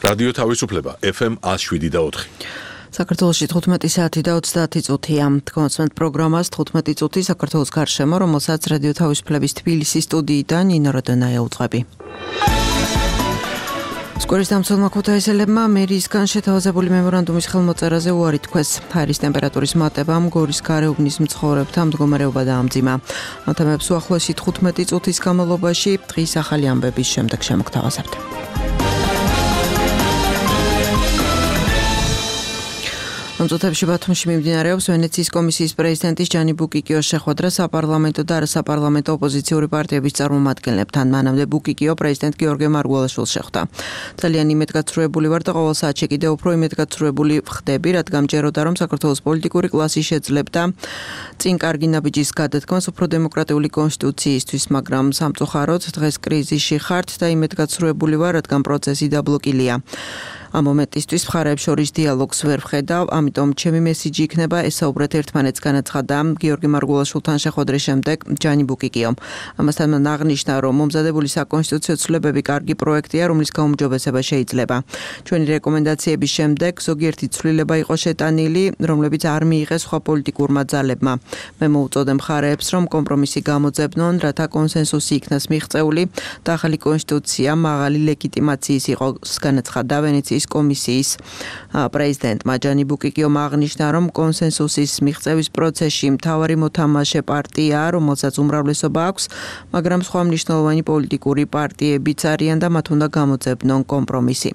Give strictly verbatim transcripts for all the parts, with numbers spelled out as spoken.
რადიო თავისუფლება ეფ ემ one oh seven და four. საქართველოში თხუთმეტი საათი და ოცდაათი წუთია. Თქვენს პროგრამას თხუთმეტი წუთი საქართველოს გარშემო, რომელსაც რადიო თავისუფლების თბილისის სტუდიიდან ნინო როდონაია უძღვები. სკვერის დამცველმა ქუთაისელებმა მერიისგან შეთავაზებული მემორანდუმის ხელმოწერაზე უარი თქვეს. ჰაერის ტემპერატურის მატებამ გორის გარეუბნის მცხოვრებთა მდგომარეობა დაამძიმა. ამ თემებს უახლოესი თხუთმეტი წუთის განმავლობაში დღის ახალი ამბების შემდეგ შემოგთავაზებთ. ამ წუთებში ბათუმში მიმდინარეობს ვენეციის კომისიის პრეზიდენტის ჯანი ბუკიკიოს შეხვედრა საპარლამენტო და არასაპარლამენტო ოპოზიციური პარტიების წარმომადგენლებთან. მანამდე ბუკიკიო პრეზიდენტ გიორგი მარგველაშვილს შეხვდა. ძალიან იმედგაცრუებული ვარ და ყოველ საათში კიდევ უფრო იმედგაცრუებული ვხდები, რადგან მჯეროდა რომ საქართველოს პოლიტიკური კლასი შეძლებდა წინ კარგი ნაბიჯის გადადგმას უფრო დემოკრატიული კონსტიტუციისთვის, მაგრამ სამწუხაროდ დღეს კრიზისში ხართ და იმედგაცრუებული ვარ, რადგან პროცესი დაბლოკილია. ამ მომენტისთვის მხარეებს შორის დიალოგს ვერ ვხედავ, ამიტომ ჩემი მესიჯი იქნება ესაუბრეთ ერთმანეთს, განაცხადა გიორგი მარგველაშვილთან შეხვედრის შემდეგ ჯანი ბუკიკიომ. ამასთან მან აღნიშნა, რომ მომზადებული საკონსტიტუციო ცვლილებები კარგი პროექტია, რომლის გაუმჯობესება შეიძლება. ჩვენი რეკომენდაციების შემდეგ ზოგიერთი ცვლილება იყო შეტანილი, რომლებიც არ მიიღეს სხვა პოლიტიკურმა ძალებმა. მე მოუწოდე მხარეებს, რომ კომპრომისი გამოძებნონ, რათა კონსენსუსი იქნას მიღწეული და ახალი კონსტიტუცია მაღალი ლეგიტიმაციის იყოს, განაცხადა ვენეციის კომისიის პრეზიდენტმა ჯანი ბუკიკიომ აღნიშნა, რომ კონსენსუსის მიღწევის პროცესში მთავარი მოთამაშე პარტია, რომელსაც უმრავლესობა აქვს, მაგრამ სხვა მნიშვნელოვანი პოლიტიკური პარტიებიც არიან და მათ უნდა გამოძებნონ კომპრომისი.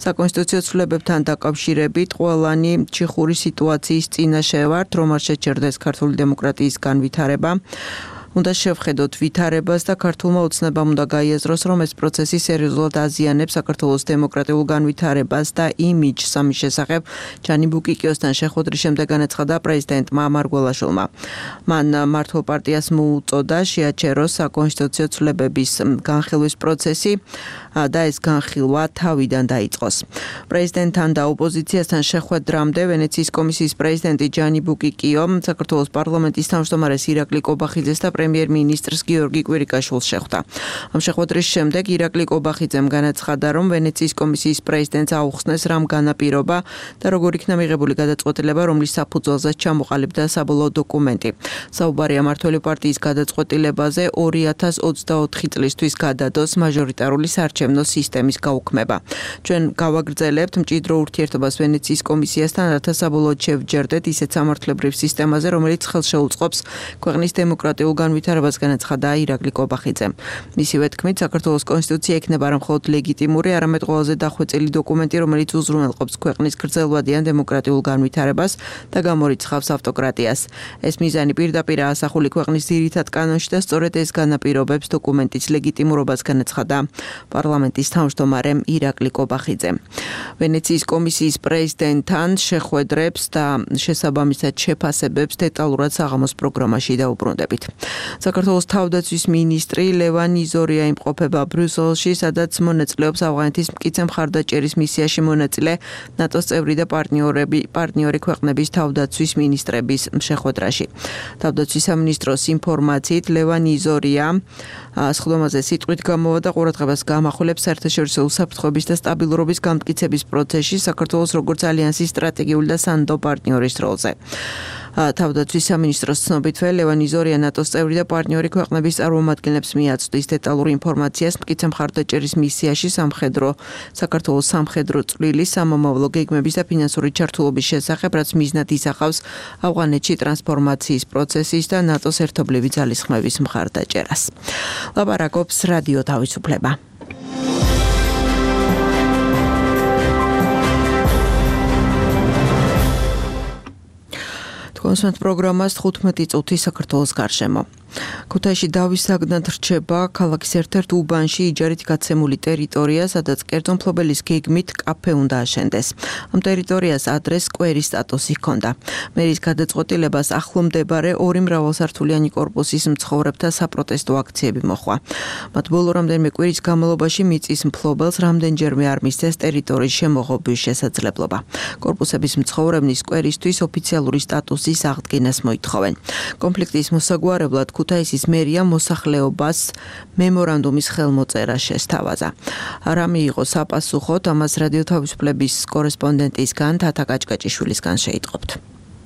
საკონსტიტუციო ცვლილებებთან დაკავშირებით ყველანი ჩიხური სიტუაციის წინაშე ვართ, რომ არ შეჩერდეს ქართული დემოკრატიის განვითარება. უნდა შევხედოთ ვითარებას და ქართულმა ოცნებამ უნდა გაიაზროს, რომ ეს პროცესი სერიოზულად აზიანებს საქართველოს დემოკრატიულ განვითარებას და იმიჯს. ამის შესახებ ჯანი ბუკიკიოსთან შეხვედრის შემდეგ განაცხადა პრეზიდენტმა მარგველაშვილმა. მან მართლ პარტიას მოუწოდა შეაჩეროს საკონსტიტუციო ცვლილებების განხილვის პროცესი და ეს განხილვა თავიდან დაიწყოს. პრეზიდენტთან და ოპოზიციასთან შეხვედრამდე ვენეციის კომისიის პრეზიდენტი ჯანი ბუკიკიო საქართველოს პარლამენტის თავმჯდომარეს ირაკლი კობახიძეს და პრემიერ-მინისტრს გიორგი კვირიკაშვილს შეხვდა. ამ შეხვედრის შემდეგ ირაკლი კობახიძემ განაცხადა, რომ ვენეციის კომისიის პრეზიდენტს აუხსნეს რამ განაპირობა და როგორ იქნა მიღებული გადაწყვეტილება, რომლის საფუძველზეც ჩამოყალიბდა საბოლოო დოკუმენტი. საუბარია მართველი პარტიის გადაწყვეტილებაზე ორი ათას ოცდაოთხი წლისთვის გადადოს მაჟორიტარული საარჩევნო სისტემის გაუქმება. ჩვენ გავაგრძელებთ მჭიდრო ურთიერთობას ვენეციის კომისიასთან, რათა საბოლოოდ შევჯერდეთ ისეთ სამართლებრივ სისტემაზე, რომელიც ხელშეუწყობს ქვეყნის დემოკრატიულ განვითარებას, განაცხადა ირაკლი კობახიძემ. მისივე თქმით, საქართველოს კონსტიტუცია იქნება არა მხოლოდ ლეგიტიმური, არამედ ყველაზე დახვეწილი დოკუმენტი, რომელიც უზრუნველყოფს ქვეყნის გრძელვადიან დემოკრატიულ განვითარებას და გამორიცხავს ავტოკრატიას. ეს მიზანი პირდაპირ ასახული ქვეყნის ძირითად კანონში და სწორედ ეს განაპირობებს დოკუმენტის ლეგიტიმურობას, განაცხადა პარლამენტის თავმჯდომარე ირაკლი კობახიძე. ვენეციის კომისიის პრეზიდენტთან შეხვედრებს და შესაბამისად შეფასებებს დეტალურად საღამოს პროგრამაში დაუბრუნდებით. საქართველოს თავდაცვის მინისტრი ლევან იზორია იმყოფება ბრიუსელში, სადაც მონაწილეობს ავღანეთის მტკიცე მხარდაჭერის მისიაში მონაწილე ნატოს წევრი და პარტნიორები, პარტნიორი ქვეყნების თავდაცვის მინისტრების შეხვედრაში. თავდაცვის სამინისტროს ინფორმაციით ლევან იზორია სხდომაზე სიტყვით გამოვა და ყურადღებას გამახვილებს საერთაშორისო უსაფრთხოების და სტაბილურობის გამტკიცების პროცესში საქართველოს როგორც ალიანსის სტრატეგიული და სანდო პარტნიორის როლზე. თავდაცვის სამინისტროს ცნობითვე ლევან იზორია ნატოს წევრი და პარტნიორი ქვეყნების წარმომადგენლებს მიაწვდის დეტალურ ინფორმაციას მტკიცე მხარდაჭერის მისიაში სამხედრო საქართველოს სამხედრო წვლილის, სამომავლო გეგმების და ფინანსური ჩართულობის შესახებ, რაც მიზნად ისახავს ავღანეთში ტრანსფორმაციის პროცესის და ნატოს ერთობლივი ძალისხმევის მხარდაჭერას. ლაპარაკობს რადიო თავისუფლება. კონსერტ პროგრამას თხუთმეტი წუთი საქართველოს გარშემო. ქუთაისში დავის საგნად რჩება ქალაქის ერთ-ერთ უბანში იჯარით გაცემული ტერიტორია, სადაც კერძო მფლობელის გეგმით კაფე უნდა აშენდეს. ამ ტერიტორიას ადრეს სკვერის სტატუსი ჰქონდა. მერის გადაწყვეტილებას ახლომდებარე ორი მრავალსართულიანი კორპუსის მცხოვრებთა საპროტესტო აქციები მოჰყვა. მათ ბოლო რამდენიმე კვირის განმავლობაში მიწის მფლობელს რამდენჯერმე არ მისცეს ტერიტორიის შემოღობის შესაძლებლობა. კორპუსების მცხოვრებნი სკვერისთვის ოფიციალური სტატუსის აღდგენას მოითხოვენ. კონფლიქტის მოსაგვარებლად ქუთაისის მერია მოსახლეობას მემორანდუმის ხელმოწერა შესთავაზა. რა მიიღო საპასუხოდ, ამას რადიო თავისუფლების კორესპონდენტისგან თათა კაჭკაჭიშვილისგან შეიტყობთ.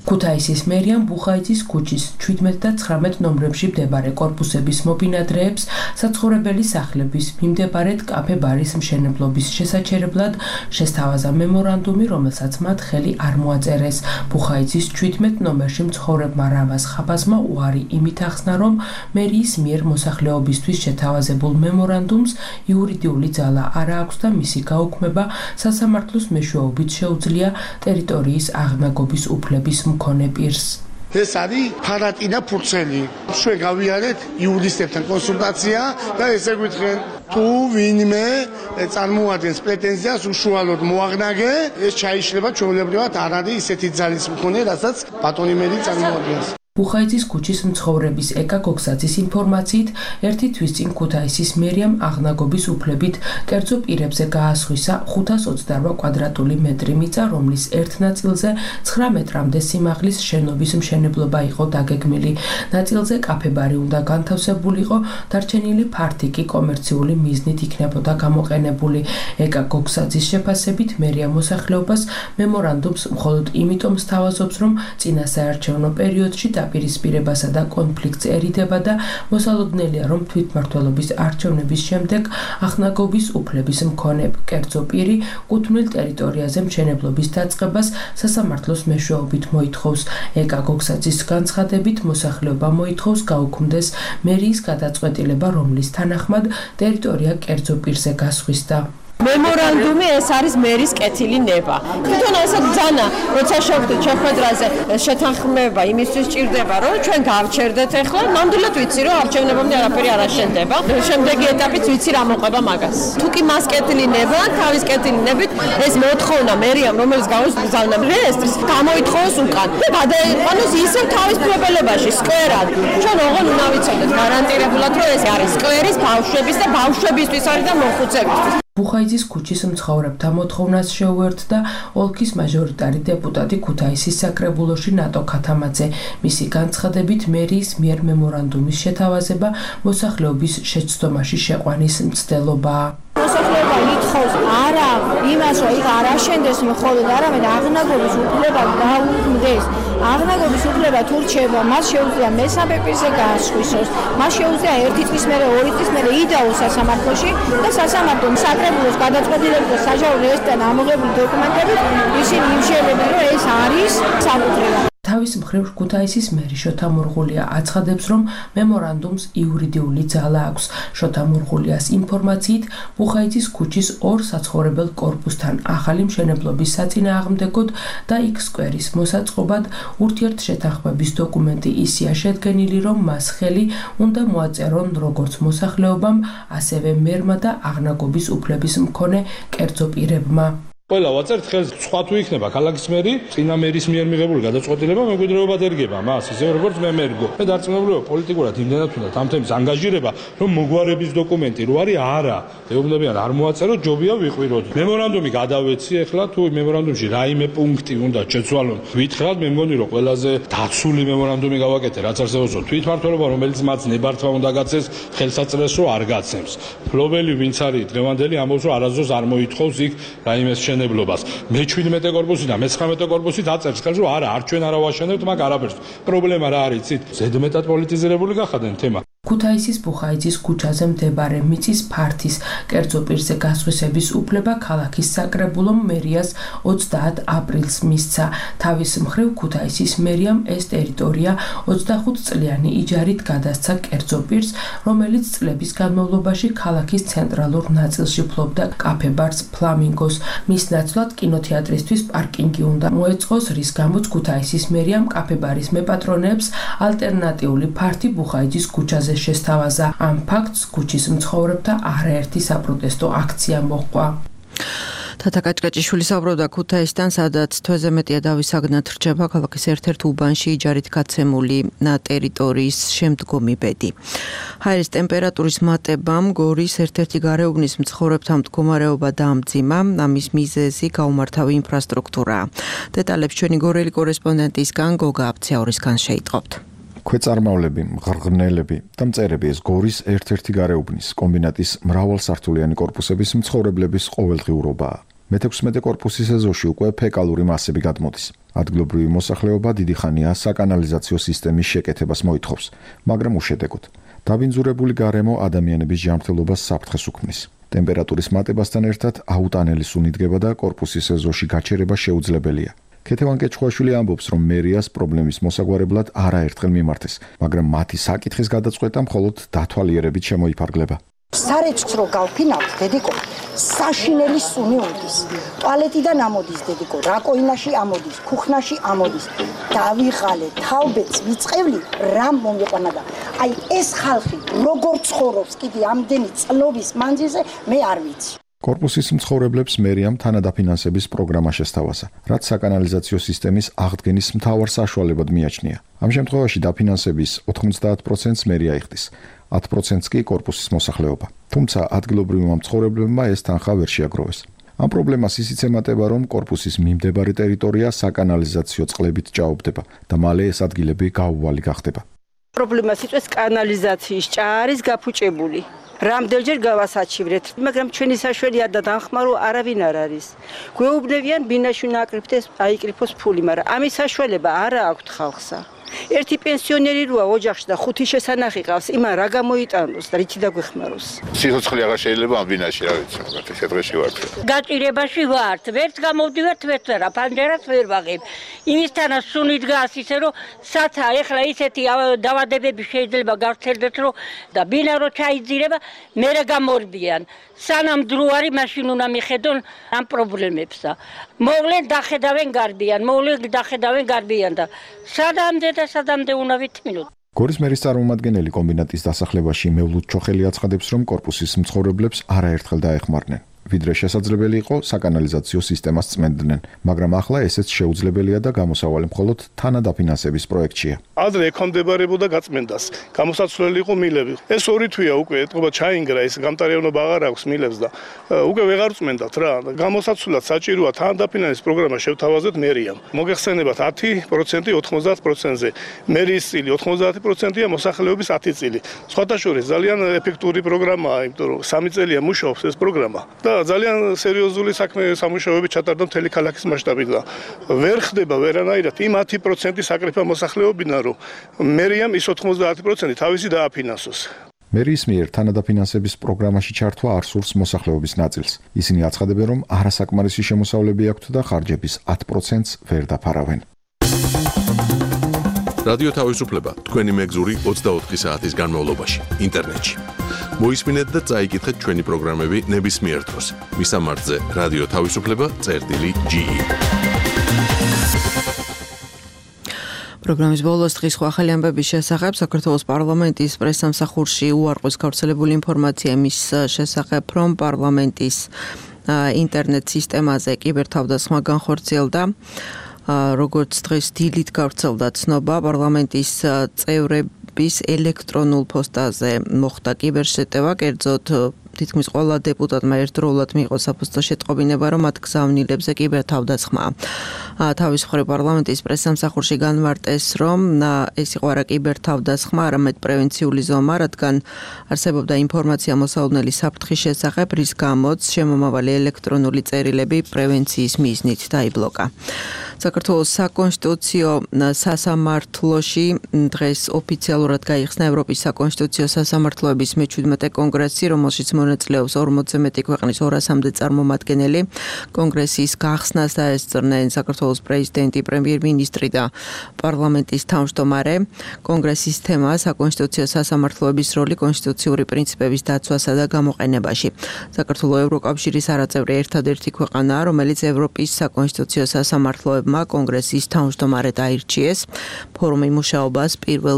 ქუთაისის მერიამ ბუხაიძის ქუჩის ჩვიდმეტ და ცხრამეტ ნომრებში მდებარე კორპუსების მობინადრეებს საცხოვრებელი სახლების მიმდებარედ კაფე-ბარის მშენებლობის შესაჩერებლად შესთავაზა მემორანდუმი, რომელსაც მათ ხელი არ მოაწერეს. ბუხაიძის ჩვიდმეტ ნომერში მცხოვრებმა რამაზ ხაბაზმა უარი იმით ახსნა, რომ მერიის მიერ მოსახლეობისთვის შეთავაზებულ მემორანდუმს იურიდიული ძალა არ აქვს და მისი გაუქმება სასამართლოს მეშვეობით შეუძლია ტერიტორიის აღნაგობის უფლების მქონე პირს. ეს არის ფარატინა ფურცელი. ჩვენ გავიარეთ იურისტებთან კონსულტაცია და ესე გვითხრენ, თუ ვინმე წარმოადგენს პრეტენზიას უშუალოდ მოაღნაგე, ეს ჩაიშლება ჩვეულებრივად არ არის ისეთი ძალის მქონე, რასაც ბატონი მერი წარმოადგენს. ბუხაიძის ქუჩის მცხოვრების ეკა გოგსაძის ინფორმაციით, ერთი თვის წინ ქუთაისის მერიამ აღნაგობის უფლებით კერძო პირებზე გაასხვისა ხუთას ოცდაორვა კვადრატული მეტრი მიწა, რომლის ერთ ნაწილზე ცხრა მეტრამდე სიმაღლის შენობის მშენებლობა იყო დაგეგმილი. ნაწილზე კაფე-ბარი უნდა განთავსებულიყო, დარჩენილი ფართი კი კომერციული მიზნით იქნებოდა გამოყენებული. ეკა გოგსაძის შეფასებით, მერია მოსახლეობას მემორანდუმს მხოლოდ იმიტომ სთავაზობს, რომ წინა საარჩევნო პერიოდში დაპირისპირებასა და კონფლიქტს ერიდება და მოსალოდნელია, რომ თვითმმართველობის არჩევნების შემდეგ აღნაგობის უფლების მქონე კერძო პირი კუთვნილ ტერიტორიაზე მშენებლობის დაწყებას სასამართლოს მეშვეობით მოითხოვს. ეკა გოგსაძის განცხადებით, მოსახლეობა მოითხოვს გაუქმდეს მერიის გადაწყვეტილება, რომლის თანახმად ტერიტორია კერძო პირზე გასხვისდა. მემორანდუმი ეს არის მერის კეთილი ნება. თვითონ ასე ძანა, როცა შევხვდით შეხვედრაზე შეთანხმება იმისთვის ჭირდება, რომ ჩვენ გავჩერდეთ ახლა, ნამდვილად ვიცი, რომ არჩევნებამდე არაფერი არ აშენდება. შემდეგი ეტაპიც ვიცი რა მოყვება მაგას. თუ კი მას კეთილი ნება, თავის კეთილი ნებით ეს მოთხოვნა მერიამ, რომელიც გავუსწავლა რეესტრს, გამოითხოვოს უკან და გადაიყვანოს ისევ თავის პრობლემაში, სკვერად. ჩვენ ოღონდ უნდა ვიცოდეთ გარანტირებულად, რომ ეს არის სკვერის ბავშვების და ბავშვებისთვის არის და მოხუცებისთვის. ბუხაიძის ქუჩის მცხოვრებთა მოთხოვნას შეუერთდა ოლქის მაჟორიტარი დეპუტატი ქუთაისის საკრებულოში ნატო ქათამაძე. მისი განცხადებით, მერიის მიერ მემორანდუმის შეთავაზება მოსახლეობის შეცდომაში შეყვანის მცდელობაა. მოსახლეობა ითხოვს არა იმას, რომ იქ არ აშენდეს მხოლოდ, არამედ აღნაგობის უფლება გაუქმდეს. აღნაგობის უფლება თუ რჩება, მას შეუძლია მესამე პირზე გაასხვისოს. მას შეუძლია ერთი წლის მერე, ორი წლის მერე იდაოს სასამართლოში და სასამართლომ საკრებულოს გადაწყვეტილებით და საჯარო რეესტრიდან ამოღებული დოკუმენტებით ისინი იმშელებენ, რომ ეს არის საკუთრება. თავის მხრივ ქუთაისის მერი შოთა მურღულია აცხადებს, რომ მემორანდუმს იურიდიული ძალა აქვს. შოთა მურღულიას ინფორმაციით, ბუხაიძის ქუჩის ორ საცხოვრებელ კორპუსთან ახალი მშენებლობის საწინააღმდეგოდ და იქ სკვერის მოსაწყობად ურთიერთშეთანხმების დოკუმენტი ისეა შედგენილი, რომ მას ხელი უნდა მოაწერონ როგორც მოსახლეობამ, ასევე მერმა და აღნაგობის უფლების მქონე კერძო პირებმა. ყველა ვაწერთ ხელს, სხვა თუ იქნება ქალაქის მერი, წინა მერის მიერ მიღებული გადაწყვეტილება მემკვიდრეობად ერგება მას, ისე როგორც მე მერგო. მე დარწმუნებულია პოლიტიკურად იმდენად უნდა ამ თემის ანგაჟირება, რომ მოგვარების დოკუმენტი რო არის არა, ეუბნებიან არ მოაწეროთ, ჯობია ვიყვიროთ. მემორანდუმი გადავეცი, ახლა თუ მემორანდუმში რაიმე პუნქტი უნდა შეცვალონ, ვითხრათ, მე მგონი რომ ყველაზე დაცული მემორანდუმი გავაკეთე, რაც არსებობს თვითმმართველობა, რომელიც მათ ნებართვა უნდა გაცეს, ხელსაწყრეს რო არ გაცემს. ფლობელი ვინც არის დღევანდელი ამბობს, რომ არასდროს არ მოითხოვს იქ რაიმე მშენებლობას. მე ჩვიდმეტე კორპუსი და მე ცხრამეტე კორპუსი დაწერს ხელს, რომ არა, არ ჩვენ არა ვაშენებთ მაგ არაფერს. პრობლემა რა არის, იცით? ზედმეტად პოლიტიზირებული გახადენ თემა. ქუთაისის ბუხაიძის ქუჩაზე მდებარე მიწის ფართის კერძო პირზე გასხვისების უფლება ქალაქის საკრებულომ მერიას ოცდაათ აპრილს მისცა. თავის მხრივ ქუთაისის მერიამ ეს ტერიტორია ოცდახუთ წლიანი იჯარით გადასცა კერძო პირს, რომელიც წლების განმავლობაში ქალაქის ცენტრალურ ნაწილში ფლობდა კაფე-ბარს ფლამინგოს. მის ნაცვლად კინოთეატრისთვის პარკინგი უნდა მოეწყოს, რის გამოც ქუთაისის მერიამ კაფე-ბარის მეპატრონეებს ალტერნატიული ფართი ბუხაიძის ქუჩაზე შესთავაზა. ამ ფაქტს ქუჩის მცხოვრებთა არაერთი საპროტესტო აქცია მოჰყვა. თათა კაჭკაჭიშვილი საუბრობდა ქუთაისთან, სადაც თვეზე მეტია დავისაგნად რჩება ქალაქის ერთ-ერთ უბანში იჯარით გაცემული ტერიტორიის შემდგომი ბედი. ჰაერის ტემპერატურის მატებამ გორის ერთ-ერთი გარეუბნის მცხოვრებთა მდგომარეობა დაამძიმა, ამის მიზეზი გაუმართავი ინფრასტრუქტურაა. დეტალებს ჩვენი გორელი კორესპონდენტისგან გოგა აბციაურისგან შეიტყობთ. ქვეწარმავლები, მღრღნელები და მწერები ეს გორის ერთ-ერთი გარეუბნის კომბინატის მრავალსართულიანი კორპუსების მცხოვრებლების ყოველდღიურობაა. მეთექვსმეტე კორპუსის ეზოში უკვე ფეკალური მასები გადმოდის. ადგილობრივი მოსახლეობა დიდი ხანია საკანალიზაციო სისტემის შეკეთებას მოითხოვს, მაგრამ უშედეგოდ. დაბინძურებული გარემო ადამიანების ჯანმრთელობას საფრთხეს უქმნის. ტემპერატურის მატებასთან ერთად აუტანელი სუნი დგება და კორპუსის ეზოში გაჩერება შეუძლებელია. ქეთევან კეჩხუაშვილი ამბობს, რომ მერიას პრობლემის მოსაგვარებლად არაერთხელ მიმართეს, მაგრამ მათი საკითხის გადაწყვეტა მხოლოდ დათვალიერებით შემოიფარგლება. სარეჩქს რო გავფინავთ, დედიკო, საშინელი სუნი უნდის. ტუალეტიდან ამოდის, დედიკო, რაკოინაში ამოდის, ქუხნაში ამოდის. დავიღალე, თავბეც ვიწყევლი, რამ მომიყვანა და აი ეს ხალხი როგორ ცხოვრობს კიდე ამდენი წლობის მანძილზე, მე არ ვიცი. კორპუსის მცხოვრებლებს მერიამ თანადაფინანსების პროგრამა შესთავაზა, რაც საკანალიზაციო სისტემის აღდგენის მთავარ საშუალებად მიაჩნია. ამ შემთხვევაში დაფინანსების ოთხმოცდაათ პროცენტს მერია იხდის, ათ პროცენტს კი კორპუსის მოსახლეობა. თუმცა ადგილობრივმა მცხოვრებლებმა ეს თანხა ვერ შეაგროვეს. ამ პრობლემას ისიც ემატება, რომ კორპუსის მიმდებარე ტერიტორია საკანალიზაციო წყლებით ჭაობდება და მალე ეს ადგილები გაუვალი გახდება. პრობლემას იწვევს კანალიზაციის ჭარის გაფუჭებული. რამდენჯერ გავასაჩივრეთ, მაგრამ ჩვენი საშველი და დახმარო არავინ არ არის. გვეუბნებიან ბინაში ნაკრიფდეს აიკრიფოს ფული, მაგრამ ამის საშუალება არ აქვს ხალხსა. ერთი პენსიონერი როა ოჯახში და ხუთი შესანახი ყავს, იმან რა გამოიტანოს და რითი დაგვეხმაროს. სიცოცხლე აღარ შეიძლება ამ ბინაში, რა ვიცი, მაგათ ეს დღეში ვართ. გაჭირებაში ვართ, ვერც გამოვდივართ, ვერც რა, ფანჯერას ვერ ვაღებ. იმისთანაც სუნი დგას ისე რომ საცა ეხლა ისეთი დავადებები შეიძლება გავრცელდეს რომ და ბინა რო ჩაიძირება, მერე გამორბიან. სანამ დრო არის, მაშინ უნდა მიხედონ ამ პრობლემებსა. მოვლენ დახედავენ გარბიან, მოვლენ დახედავენ გარბიან და სადამდე და სადამდე უნდა ვითმინოთ. გორის მერის წარმომადგენელი კომბინატის დასახლებაში მევლუდ ჩოხელი აცხადებს, რომ კორპუსის მცხოვრებლებს არაერთხელ დაეხმარნენ. ვიდრე შესაძლებელი იყო საკანალიზაციო სისტემას წმენდნენ, მაგრამ ახლა ესეც შეუძლებელია და გამოსავალი მხოლოდ თანადაფინანსების პროექტშია. ადრე ექვემდებარებოდა გაწმენდას, გამოსაცვლელი იყო მილები. ეს ორი თვეა უკვე ეთყობა ჩაინგრა, ეს გამტარიანობა აღარ აქვს მილებს და უკვე ვეღარ წმენდათ რა. გამოსაცვლად საჭიროა თანადაფინანსების პროგრამა შევთავაზოთ მერიამ. მოგეხსენებათ ათი პროცენტი ოთხმოცდაათ პროცენტზე. მერიის წილი ოთხმოცდაათი პროცენტია, მოსახლეობის ათი წილი. სხვათა შორის ძალიან ეფექტური პროგრამაა, იმიტომ რომ სამი წელია მუშაობს ეს პროგრამა. და ძალიან სერიოზული საქმე სამუშაოები ჩატარდა მთელი ქალაქის მასშტაბით და ვერ ხდება ვერანაირად იმ ათი პროცენტი საკრიფა მოსახლეობიდან, რომ მერიამ ის ოთხმოცდაათი პროცენტი თავისი დააფინანსოს. მერიის მიერ თანადაფინანსების პროგრამაში ჩართვა არ სურს მოსახლეობის ნაწილს. ისინი აცხადებენ, რომ არასაკმარისი შემოსავლები აქვთ და ხარჯების ათ პროცენტს ვერ დაფარავენ. რადიო თავისუფლება თქვენი მეგზური ოცდაოთხი საათის განმავლობაში ინტერნეტში. მოისმინეთ და წაიკითხეთ ჩვენი პროგრამები ნებისმიერ დროს. მისამართზე რადიო თავისუფლება წერტილი ჯი ი. პროგრამის ბოლოს დღის ახალი ამბების შესახებ საქართველოს პარლამენტის პრესსამსახურში უარყვის გავრცელებული ინფორმაცია მის შესახებ, რომ პარლამენტის ინტერნეტ სისტემაზე კიბერთავდასხმა განხორციელდა. როგორც დღეს დილით გავრცელდა ცნობა, პარლამენტის წევრების ელექტრონულ პოსტაზე მოხდა კიბერშეტევა, კერძოდ თითქმის ყველა დეპუტატმა ერთდროულად მიიღო საფოსტო შეტყობინება, რომ მათ გზავნილებზე კიბერთავდასხმა. თავის მხრივ პარლამენტის პრესსამსახურში განმარტეს, რომ ეს იყო არა კიბერთავდასხმა, არამედ პრევენციული ზომა, რადგან არსებობდა ინფორმაცია მოსალოდნელი საფრთხის შესახებ, რის გამოც შემომავალი ელექტრონული წერილები პრევენციის მიზნით დაიბლოკა. საქართველოს საკონსტიტუციო სასამართლოში დღეს ოფიციალურად გაიხსნა ევროპის საკონსტიტუციო სასამართლოების მეჩვიდმეტე კონგრესი, რომელშიც მონაწილეობს ორმოცზე მეტი ქვეყნის ორასამდე წარმომადგენელი. კონგრესის გახსნას დაესწრნენ საქართველოს პრეზიდენტი, პრემიერ-მინისტრი და პარლამენტის თავმჯდომარე. კონგრესის თემა საკონსტიტუციო სასამართლოების როლი კონსტიტუციური პრინციპების დაცვასა და გამოყენებაში. საქართველოს ევროკავშირის არაწევრი ერთადერთი ქვეყანაა, რომელიც ევროპის საკონსტიტუციო სასამართლოებმა კონგრესის თავმჯდომარედ აირჩიეს. ფორუმი მუშაობას პირველ